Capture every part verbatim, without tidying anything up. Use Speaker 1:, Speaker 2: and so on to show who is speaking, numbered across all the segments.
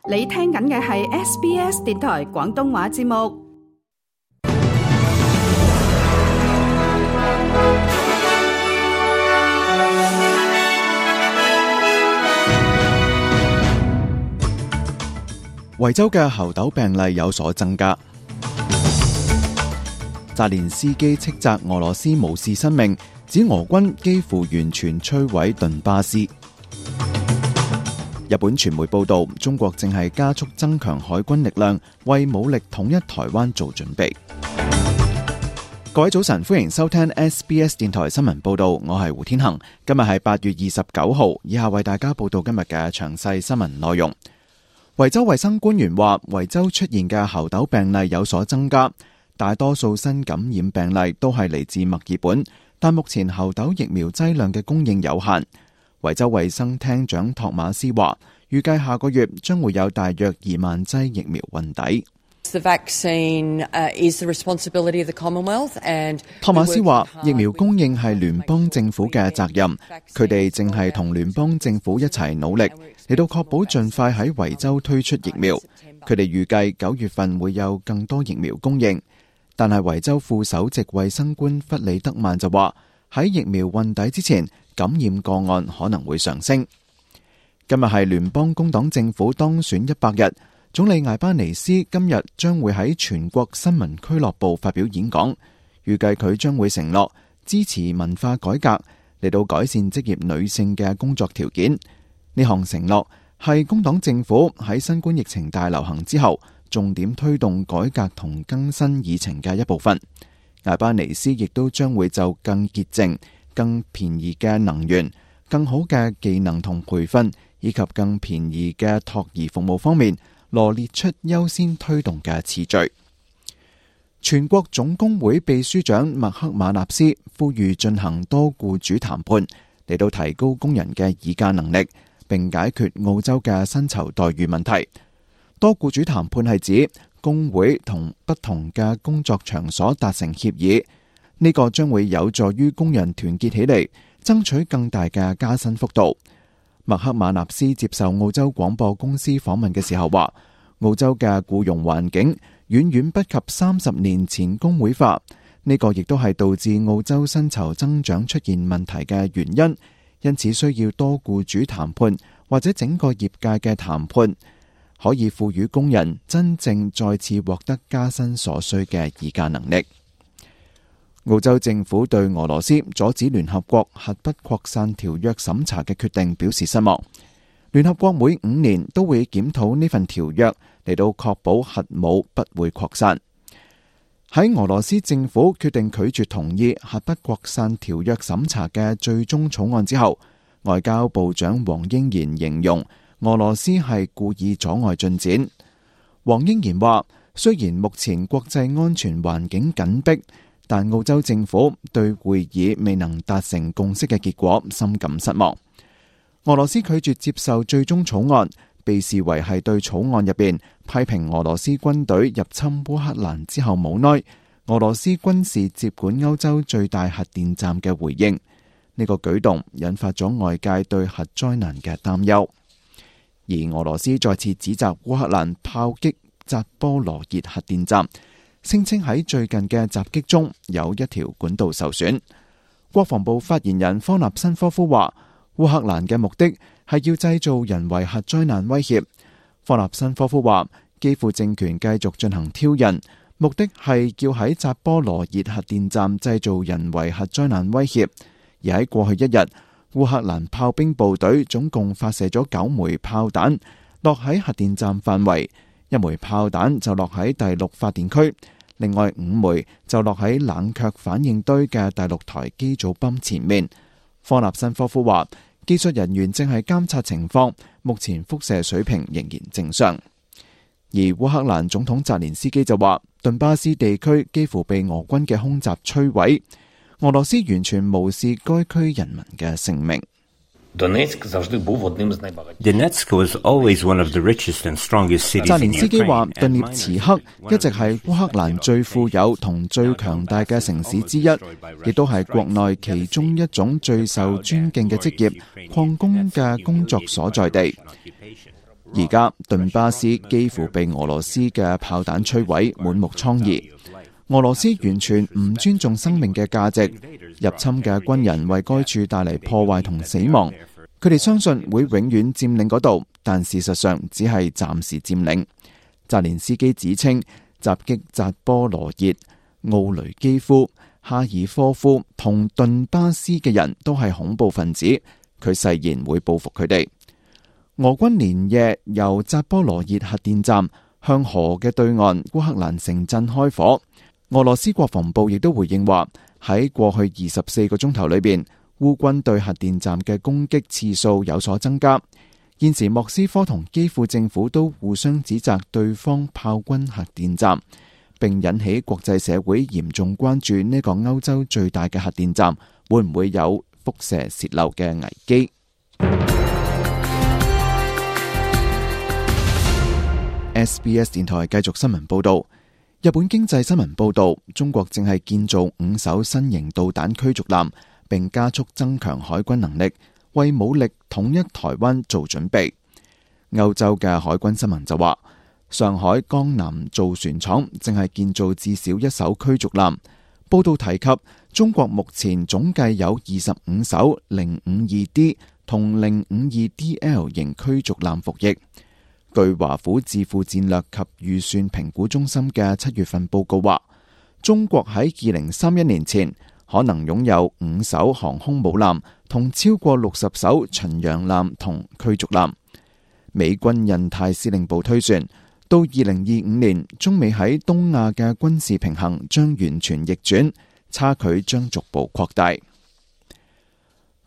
Speaker 1: 你聽緊嘅係 S B S 電台廣東話節目。
Speaker 2: 維州嘅猴痘病例有所增加。澤連斯基斥責俄羅斯無視生命，指俄軍幾乎完全摧毀頓巴斯。日本傳媒報道，中國正係加速增強海軍力量，為武力統一台灣做準備。各位早晨，歡迎收聽 S B S 電台新聞報道，我係胡天恒。今日係八月二十九號，以下為大家報道今日嘅詳細新聞內容。維州衛生官員話，維州出現嘅猴痘病例有所增加，大多數新感染病例都係嚟自墨爾本，但目前猴痘疫苗劑量嘅供應有限。維州衛生廳長托馬斯話，預計下個月將會有大約二萬劑疫苗運抵。托馬斯話，疫苗供應係聯邦政府嘅責任，佢哋正係同聯邦政府一齊努力，嚟到確保盡快喺維州推出疫苗。佢哋預計九月份會有更多疫苗供應，但係維州副首席衛生官弗里德曼就話，喺疫苗運抵之前，感染個案可能會上升。今日係聯邦工黨政府當選一百日，總理艾巴尼斯今日將會喺全國新聞俱樂部發表演講，預計佢將會承諾支持文化改革，嚟到改善職業女性嘅工作條件。呢項承諾係工黨政府喺新冠疫情大流行之後，重點推動改革同更新議程嘅一部分。艾巴尼斯亦都將會就更潔淨、更便宜嘅能源、更好嘅技能同培訓，以及更便宜嘅托兒服務方面，羅列出優先推動嘅次序。全國總工會秘書長麥克馬納斯呼籲進行多僱主談判，嚟到提高工人嘅議價能力，並解決澳洲嘅薪酬待遇問題。多僱主談判係指工會同不同嘅工作場所達成協議，呢個將會有助於工人團結起嚟，爭取更大嘅加薪幅度。麥克馬納斯接受澳洲廣播公司訪問嘅時候話，澳洲嘅僱傭環境遠遠不及三十年前工會化，呢個亦都係導致澳洲薪酬增長出現問題嘅原因，因此需要多僱主談判或者整個業界嘅談判，可以賦予工人真正再次獲得加薪所需嘅議價能力。澳洲政府對俄羅斯阻止聯合國核不擴散條約審查嘅決定表示失望。聯合國每五年都會檢討呢份條約，嚟到確保核武不會擴散。喺俄羅斯政府決定拒絕同意核不擴散條約審查嘅最終草案之後，外交部長黃英賢形容俄羅斯係故意阻礙進展。黃英賢話，雖然目前國際安全環境緊迫，但澳洲政府對會議未能達成共識嘅結果深感失望。俄羅斯拒絕接受最終草案，被視為係對草案入邊批評俄羅斯軍隊入侵烏克蘭之後冇耐，俄羅斯軍事接管歐洲最大核電站嘅回應。呢個舉動引發咗外界對核災難嘅擔憂，而俄羅斯再次指責烏克蘭炮擊扎波羅熱核電站，聲稱喺最近嘅襲擊中有一條管道受損。國防部發言人科納申科夫話，烏克蘭嘅目的係要製造人為核災難威脅。科納申科夫話，基輔政權繼續進行挑釁，目的係要喺扎波羅熱核電站製造人為核災難威脅。而喺過去一日，烏克蘭炮兵部隊總共發射咗九枚炮彈，落喺核電站範圍。一枚炮彈就落喺第六發電區，另外五枚就落喺冷卻反應堆嘅第六台機組泵前面。科納申科夫話，技術人員正係監察情況，目前輻射水平仍然正常。而烏克蘭總統澤連斯基就話，頓巴斯地區幾乎被俄軍嘅空襲摧毀，俄羅斯完全無視該區人民嘅性命。
Speaker 3: Donetsk was always one of the richest and strongest cities.
Speaker 2: 澤連斯基話，頓涅茨克一直係烏克蘭最富有同最強大嘅城市之一，亦都係國內其中一種最受尊敬嘅職業礦工嘅工作所在地。而家頓巴斯幾乎被俄羅斯嘅炮彈摧毀，滿目瘡痍。俄羅斯完全唔尊重生命嘅價值，入侵嘅軍人為該處帶嚟破壞同死亡。佢哋相信會永遠佔領嗰度，但事實上只係暫時佔領。澤連斯基指稱襲擊扎波羅熱、奧雷基夫、哈爾科夫同頓巴斯嘅人都係恐怖分子，佢誓言會報復佢哋。俄軍連夜由扎波羅熱核電站向河嘅對岸烏克蘭城鎮開火。俄羅斯國防部亦都回應話，喺過去二十四個鐘頭裏邊，烏軍對核電站嘅攻擊次數有所增加。現時莫斯科同基輔政府都互相指責對方炮轟核電站，並引起國際社會嚴重關注呢個歐洲最大嘅核電站會唔會有輻射洩漏嘅危機。S B S 電台繼續新聞報道。日本經濟新聞報道，中國正係建造五艘新型導彈驅逐艦，並加速增強海軍能力，為武力統一台灣做準備。歐洲嘅海軍新聞就話，上海江南造船廠正係建造至少一艘驅逐艦。報道提及，中國目前總計有二十五艘零五二 D 同零五二 D L 型驅逐艦服役。據華府智庫戰略及預算評估中心嘅七月份報告話，中國喺二零三一年前可能擁有五艘航空母艦同超過六十艘巡洋艦同驅逐艦。美軍印太司令部推算，到二零二五年，中美喺東亞嘅軍事平衡將完全逆轉，差距將逐步擴大。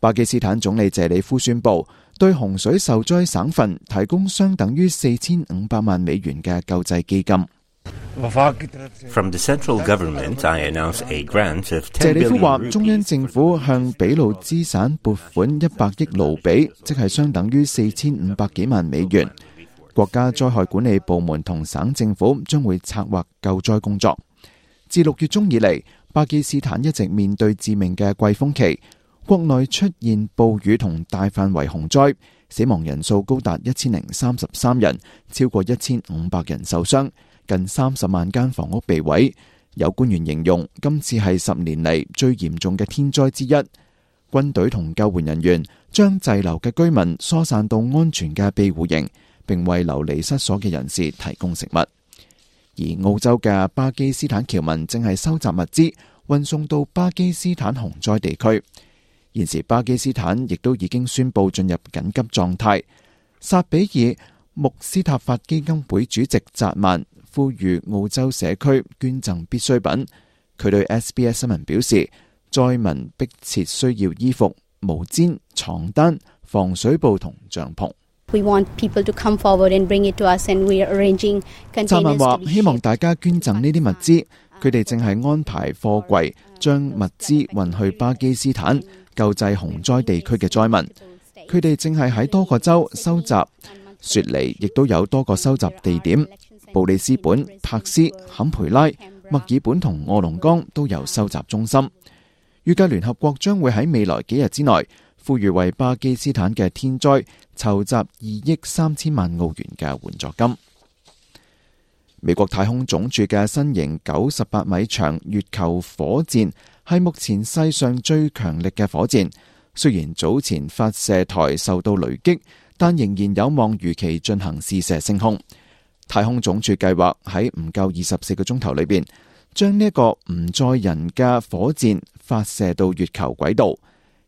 Speaker 2: 巴基斯坦總理謝里夫宣布，對洪水受災省份提供相等於四千五百萬美元嘅救濟基金。
Speaker 3: From the central government, I announce a grant of
Speaker 2: 謝
Speaker 3: ten
Speaker 2: 里夫話，
Speaker 3: billion
Speaker 2: 中央政府向俾路支省撥款一百億盧比，即係相等於四千五百幾萬美元。國家災害管理部門同省政府將會策劃救災工作。自六月中以嚟，巴基斯坦一直面對致命嘅季風期。國內出現暴雨同大範圍洪災，死亡人數高達一千零三十三人，超過一千五百人受傷，近三十萬間房屋被毀。有官員形容今次係十年嚟最嚴重嘅天災之一。軍隊同救援人員將滯留嘅居民疏散到安全嘅庇護營，並為流離失所嘅人士提供食物。而澳洲嘅巴基斯坦僑民正係收集物資，運送到巴基斯坦洪災地區。現時巴基斯坦亦都已經宣布進入緊急狀態。薩比爾穆斯塔法基金會主席扎曼呼籲澳洲社區捐贈必需品。佢對 S B S 新聞表示，災民迫切需要衣服、毛氈、床單、防水布同帳篷。扎曼話：希望大家捐贈呢啲物資。佢哋正係安排貨櫃將物資運去巴基斯坦，救濟洪災地區嘅災民。佢哋正係喺多個州收集，雪梨亦都有多個收集地點，布里斯本、柏斯、坎培拉、墨爾本同臥龍崗都有收集中心。預計聯合國將會喺未來幾日之內呼籲為巴基斯坦嘅天災籌集二億三千萬澳元嘅援助金。美國太空總署嘅新型九十八米長月球火箭係目前世上最強力嘅火箭。雖然早前發射台受到雷擊，但仍然有望如期進行試射升空。太空總署計劃喺唔夠二十四個鐘頭裏邊，將呢一個唔載人嘅火箭發射到月球軌道。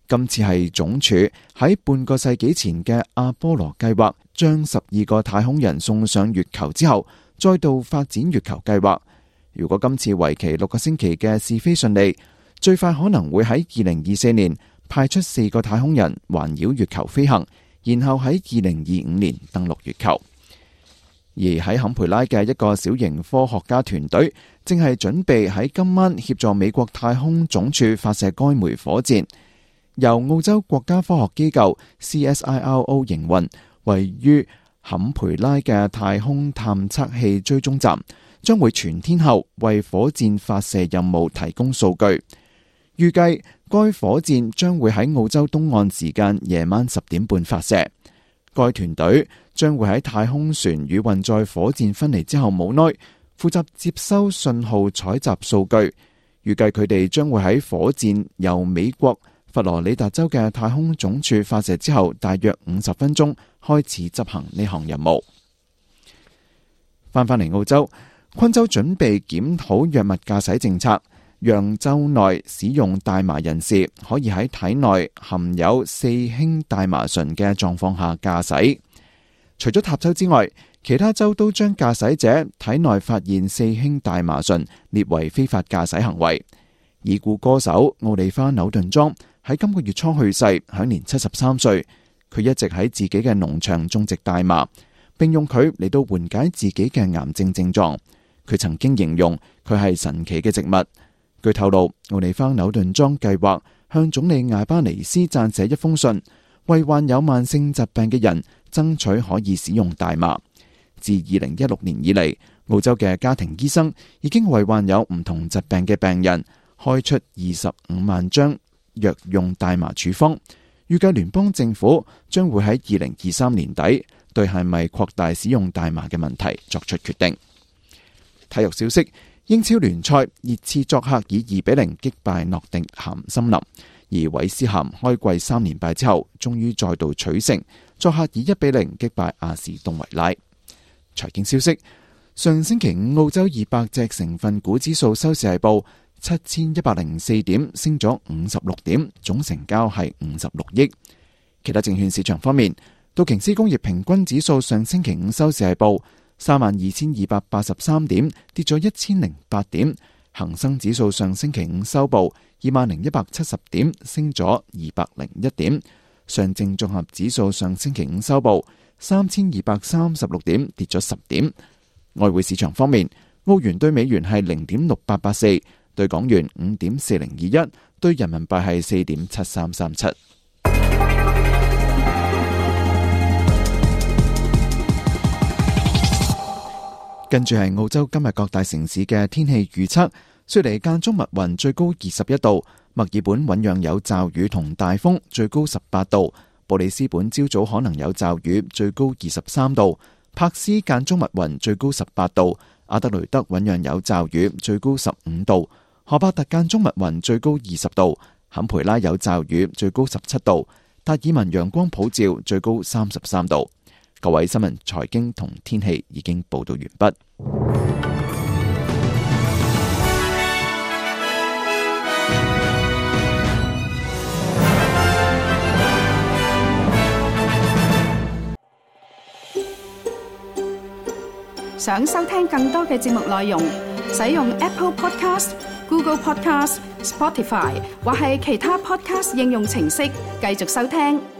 Speaker 2: 今次係總署喺半個世紀前嘅阿波羅計劃，將十二個太空人送上月球之後，再度發展月球計劃。如果今次為期六個星期嘅試飛順利，最快可能會喺二零二四年派出四個太空人環繞月球飛行，然後喺二零二五年登陸月球。而喺坎培拉嘅一個小型科學家團隊，正係準備喺今晚協助美國太空總署發射該枚火箭。由澳洲國家科學機構 C S I R O 營運，位於坎培拉嘅太空探測器追蹤站將會全天候為火箭發射任務提供數據。預計該火箭將會喺澳洲東岸時間夜晚十點半發射。該團隊將會喺太空船與運載火箭分離之後冇耐，負責接收信號採集數據。預計佢哋將會喺火箭由美國佛羅里達州嘅太空總署發射之後，大約五十分鐘開始執行呢項任務。翻返嚟澳洲，昆州準備檢討藥物駕駛政策，讓州內使用大麻人士可以喺體內含有四氫大麻醇嘅狀況下駕駛。除咗塔州之外，其他州都將駕駛者體內發現四氫大麻醇列為非法駕駛行為。已故歌手奧利花紐頓莊喺今個月初去世，享年七十三歲。佢一直喺自己嘅農場種植大麻，並用佢嚟到緩解自己嘅癌症症狀。佢曾經形容佢係神奇嘅植物。據透露，奧利花紐頓莊計劃向總理艾巴尼斯撰寫一封信，為患有慢性疾病嘅人爭取可以使用大麻。自二零一六年以嚟，澳洲嘅家庭醫生已經為患有唔同疾病嘅病人開出二十五萬張藥用大麻處方。預計聯邦政府將會喺二零二三年底對係咪擴大使用大麻嘅問題作出決定。體育消息：英超聯賽，熱刺作客以二比零擊敗諾定咸森林，而韋斯咸開季三連敗之後，終於再度取勝，作客以一比零擊敗阿士東維拉。財經消息：上星期五澳洲二百隻成分股指數收市係報七千一百零四點，升咗五十六點，總成交係五十六億。其他證券市場方面，道瓊斯工業平均指數上星期五收市係報三萬二千二百八十三點，跌咗一千零八點。恒生指數上星期五收報二萬零一百七十點，升咗二百零一點。上證綜合指數上星期五收報三千二百三十六點，跌咗十點。外匯市場方面，澳元對美元係零點六八八四，對港元五點四零二一，對人民幣係四點七三三七。跟住係澳洲今日各大城市嘅天氣預測：雪梨間中密雲，最高二十一度；墨爾本醞釀有驟雨同大風，最高十八度；布里斯本朝早可能有驟雨，最高二十三度；柏斯間中密雲，最高十八度；阿德雷德醞釀有驟雨，最高十五度；荷伯特間中密雲，最高二十度；坎培拉有驟雨，最高十七度；達爾文陽光普照，最高三十三度。各位新聞、財經同天氣已經報道完畢。
Speaker 1: 想收聽更多嘅節目內容，使用 Apple Podcast、Google Podcast、Spotify 或係其他 Podcast 應用程式繼續收聽。